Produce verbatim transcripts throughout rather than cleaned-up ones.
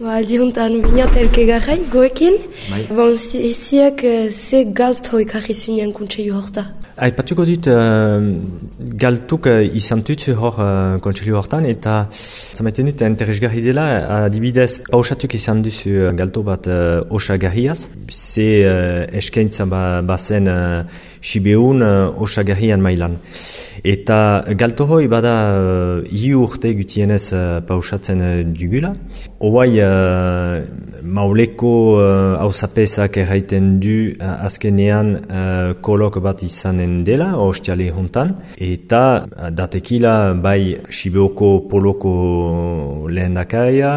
Ba, aldi hontan binat elke garrai, goekin. Bai. Bon, ziak ze galto ekarri zunean kontseilu horta. Aipatuko dut, uh, galtuk uh, izan tutzu hor uh, kontseilu hortan, eta zamaiten dut interesgarri dela, adibidez, pausatuk izan duzu uh, galto bat uh, osagarriaz, ze uh, eskaintza ba, bazen uh, sibeun uh, osagarrian mailan. Eta galto hoi bada uh, hi urte gutienez uh, pausatzen uh, dugula. Hoai uh, mauleko hausapezak uh, erraiten du uh, azkenean uh, kolok bat izanen dela, ostiale hontan. Eta uh, datekila bai Sibeoko poloko lehendakaia,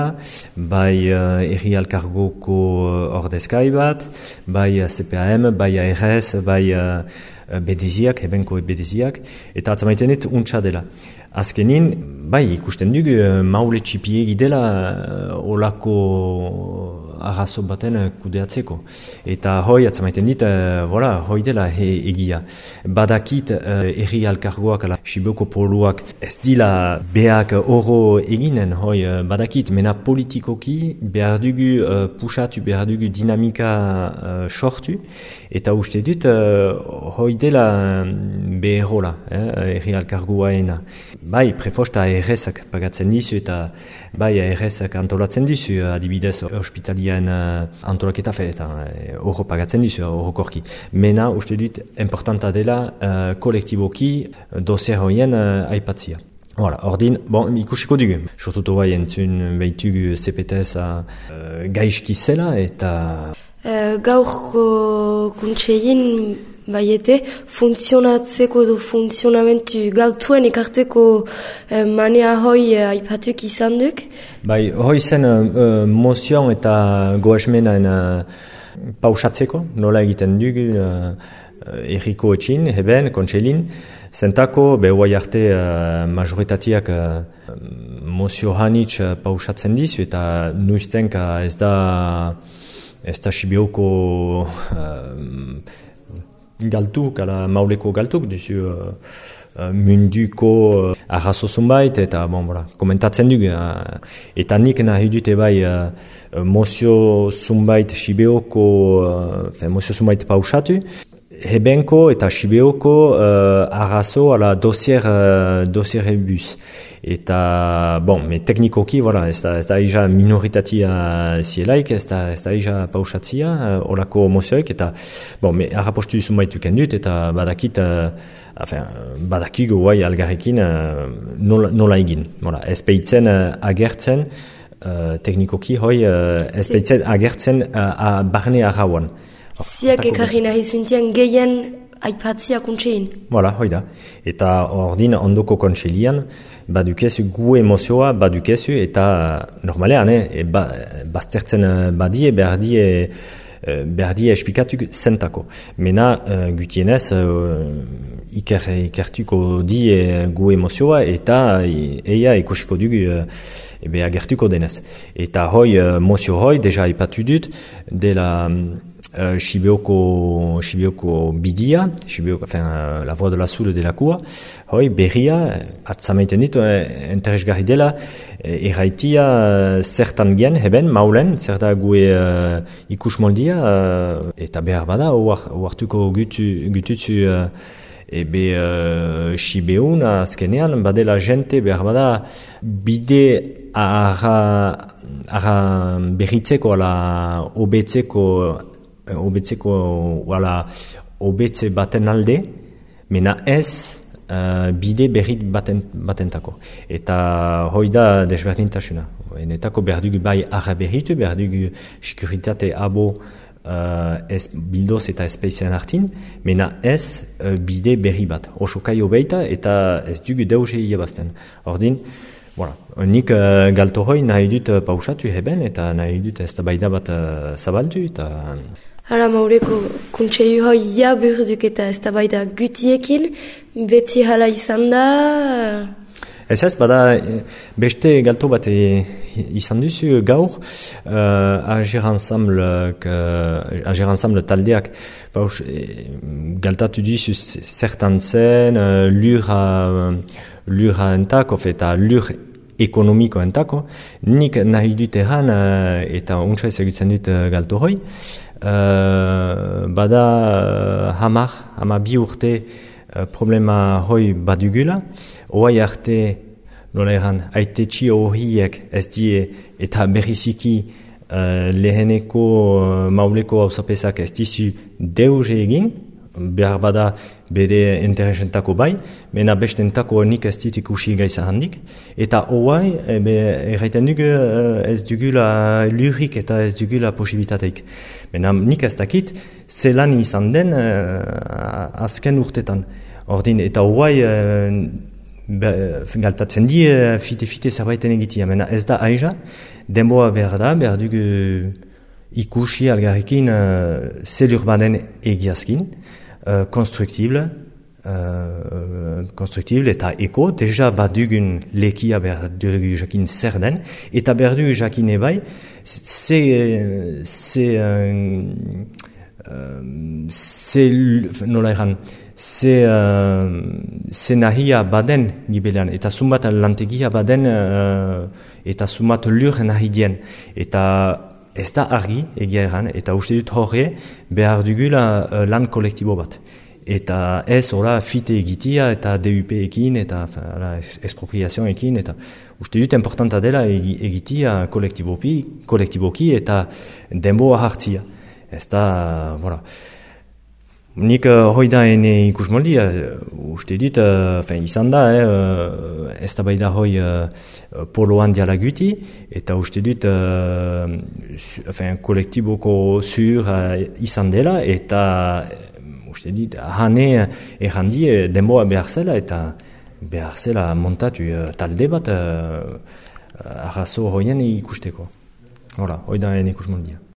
bai uh, erri alkargoko uh, ordezkai bat, bai uh, C P A M, bai A R S, bai uh, bedeziak, ebenko bedeziak, eta atzamaiten dit untsa dela. Azkenin, bai, ikusten dugu, maule txipiegi dela olako arrazo baten kudeatzeko. Eta hoi, atzamaiten dit, voilà, hoi dela he, egia. Badakit uh, erri alkargoak, ala, Sibeoko poluak, ez dila beak oro eginen, hoi, badakit, mena politikoki behar dugu uh, pusatu, behar dugu dinamika uh, sortu, eta uste dut, uh, hoi dela beherola, eh, erri alkargoaena. Bai, prefosta A R S-ak pagatzen dizu eta bai A R S-ak antolatzen dizu, adibidez ospitalien uh, antolaketa fe, eta horro uh, pagatzen dizu, horrokorki. Mena, uste dut, importanta dela uh, kolektiboki dosier hoien uh, aipatzia. Voilà, ordin, bon, ikusiko dugu. Sortutu bai entzun behitugu C P T S-a uh, gaizki zela eta... Uh, gaurko kuntseien baiete, funtzionatzeko edo funtzionamentu galtuen ekarteko eh, manea hoi eh, aipatuk izan duk? Bai, hoi zen uh, mozion eta goesmenan uh, pausatzeko, nola egiten dugu uh, erriko etxin, heben, kontselin, zentako, behuai arte uh, majoritatiak uh, mozio hanitz uh, pausatzen dizu, eta nuiztenka ez da ez da Sibeoko uh, galtuk, ala mauleko galtuk, duzu uh, munduko uh, arrazo zunbait, eta bon, voilà, komentatzen dugu. Uh, eta nik nahi dute bai uh, mozio zunbait Sibeoko, uh, mozio zunbait pausatu, hebenko eta Sibeoko uh, arrazo ala dosier, uh, dosier ebus. Eta, bon, me teknikoki, voilà, ez da, ez da ija minoritatia zielaik, ez da, ez da ija pausatzia, uh, olako mozioek, eta, bon, me harrapostu zunbaitu kendut, eta badakit, uh, enfin, badakigu guai algarrekin uh, nola, nola egin. Voilà, ez peitzen uh, agertzen, uh, teknikoki hoi, uh, ez peitzen agertzen uh, barne arrauan. Ziak ekarri nahi zuntian gehien aipatzia kuntsein. Voilà, hoi da. Eta ordin ondoko kontselian, badukezu gu emozioa, badukezu, eta normalean, eh, ba, baztertzen badie, behar die, behar die espikatuk zentako. Mena, uh, gutienez, uh, iker, ikertuko die gu emozioa, eta eia ikusiko dugu uh, ebe agertuko denez. Eta hoi, uh, mozio hoi, deja ipatu dut, dela... Uh, Sibeoko, Sibeoko bidia, Sibeoko, enfin, uh, la voie de la soule de la cua, hoi, berria, atzamaiten ditu, eh, interesgarri dela, eh, erraitia uh, zertan gen, heben, maulen, zerta gue uh, ikus moldia, uh, eta behar bada, oartuko gutu, gututzu, uh, ebe uh, Sibeun, azkenean, badela jente, behar bada, bide ara, ara berritzeko, ala obetzeko, obetzeko, wala, obetze baten alde, mena ez uh, bide berrit baten, batentako. Eta hoi da desberdintasuna. Enetako behar dugu bai arra berritu, behar dugu sekuritate abo uh, ez bildoz eta espeizian hartin, mena ez uh, bide berri bat. Oso kai obeita eta ez dugu deuze iabazten. Ordin, voilà. Nik uh, galto hoi nahi dut uh, pausatu heben, eta nahi dut ez da baida bat uh, zabaldu, eta... Hala, maureko kontseilu hoi ja burduk eta ez da baida gutiekin, beti hala izan da... Ez ez, bada beste galto bat e, izan duzu gaur, uh, Ager Ensemble, uh, Ager Ensemble taldeak, paus, e, galtatu duzu zertan zen, uh, lura, uh, lura entak, of eta lur ekonomikoentako, nik nahi dut erran, uh, eta untsa ezagutzen dut uh, galto hoi, uh, bada uh, hamar, hama bi urte uh, problema hoi badugula, oai arte, nola erran, aitetxi horiek ez die eta berriziki uh, leheneko uh, mauleko hausapesak ez dizu deuze egin, behar bada bere interesentako bai, mena bestentako nik ez dit ikusi gaiza handik, eta hoai, erraiten dugu ez dugula lurik eta ez dugula posibilitateik. Mena nik ez dakit, zelan izan den uh, azken urtetan. Ordin, eta hoai, uh, galtatzen di, uh, fite-fite zerbaiten egitia, mena ez da aiza, denboa behar da, behar dugu ikusi algarrekin uh, zelur baden egiazkin, Uh, constructible, uh, constructible eta eko, deja badugun lekia behar dugu jakin zer den, eta behar dugu jakin ebai, ze, ze, ze, nola eran, ze, ze nahia baden gibelan, eta sumat lantegia baden, uh, eta sumat lur nahi dien, eta ez da argi egia eran, eta uste dut horre behar dugula uh, lan kolektibo bat. Eta ez hola fite egitia eta D U P ekin eta la, expropriazioa ekin, eta uste dut importanta dela egitia kolektiboki, kolektiboki eta denboa hartzia. Ez da, voilà. Nik uh, hoi da ene ikusmoldia, uh, uste dut, uh, izan da, eh, uh, ez da bai da hoi uh, poloan diala guti, eta uste dut uh, fin, kolektiboko zur uh, izan dela, eta uh, uste dut, hane errandi uh, denboa behar zela, eta behar zela montatu uh, talde bat uh, arrazo hoien ikusteko. Hola, hoi da ene ikusmoldia.